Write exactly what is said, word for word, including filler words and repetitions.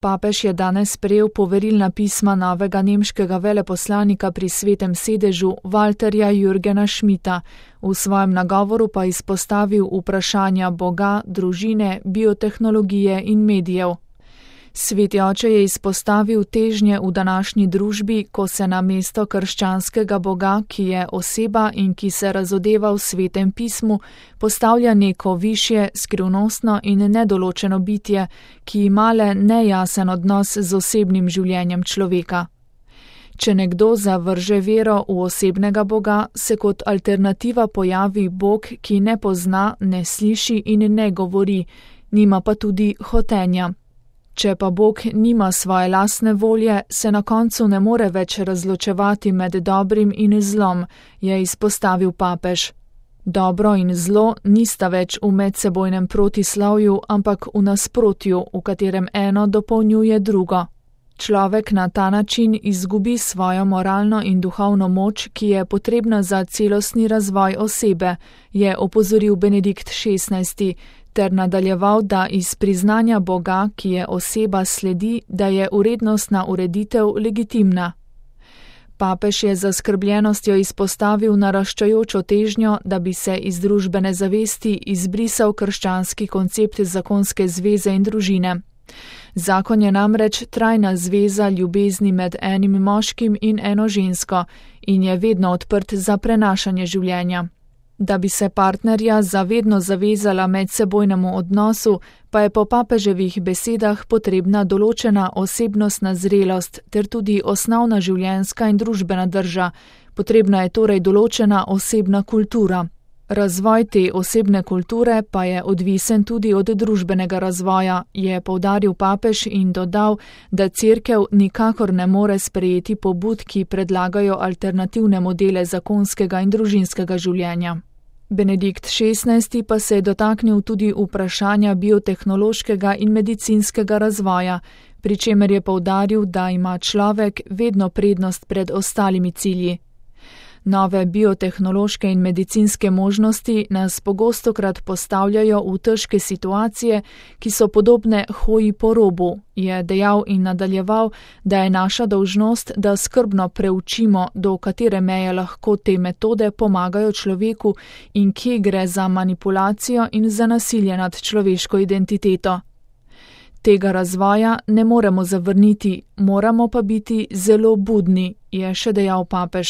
Papež je danes sprejel poverilna pisma novega nemškega veleposlanika pri Svetem sedežu Walterja Jürgena Schmidta, v svojem nagovoru pa izpostavil vprašanja Boga, družine, biotehnologije in medijev. Sveti oče je izpostavil težnje v današnji družbi, ko se na mesto krščanskega Boga, ki je oseba in ki se razodeva v Svetem pismu, postavlja neko višje, skrivnostno in nedoločeno bitje, ki ima le nejasen odnos z osebnim življenjem človeka. Če nekdo zavrže vero v osebnega Boga, se kot alternativa pojavi Bog, ki ne pozna, ne sliši in ne govori, nima pa tudi hotenja. Če pa Bog nima svoje lastne volje, se na koncu ne more več razločevati med dobrim in zlom, je izpostavil papež. Dobro in zlo nista več v medsebojnem protislovju, ampak v nasprotju, v katerem eno dopolnjuje drugo. Človek na ta način izgubi svojo moralno in duhovno moč, ki je potrebna za celostni razvoj osebe, je opozoril Benedikt šestnajsti, ter nadaljeval, da iz priznanja Boga, ki je oseba, sledi, da je urednostna ureditev legitimna. Papež je z zaskrbljenostjo izpostavil naraščajočo težnjo, da bi se iz družbene zavesti izbrisal krščanski koncept zakonske zveze in družine. Zakon je namreč trajna zveza ljubezni med enim moškim in eno žensko in je vedno odprt za prenašanje življenja. Da bi se partnerja zavedno zavezala medsebojnemu odnosu, pa je po papeževih besedah potrebna določena osebnostna zrelost ter tudi osnovna življenjska in družbena drža, potrebna je torej določena osebna kultura. Razvoj te osebne kulture pa je odvisen tudi od družbenega razvoja, je poudaril papež in dodal, da Cerkev nikakor ne more sprejeti pobud, ki predlagajo alternativne modele zakonskega in družinskega življenja. Benedikt šestnajsti pa se je dotaknil tudi vprašanja biotehnološkega in medicinskega razvoja, pri čemer je poudaril, da ima človek vedno prednost pred ostalimi cilji. Nove biotehnološke in medicinske možnosti nas pogostokrat postavljajo v težke situacije, ki so podobne hoji po robu, je dejal in nadaljeval, da je naša dolžnost, da skrbno preučimo, do katere meje lahko te metode pomagajo človeku in kje gre za manipulacijo in za nasilje nad človeško identiteto. Tega razvoja ne moremo zavrniti, moramo pa biti zelo budni, je še dejal papež.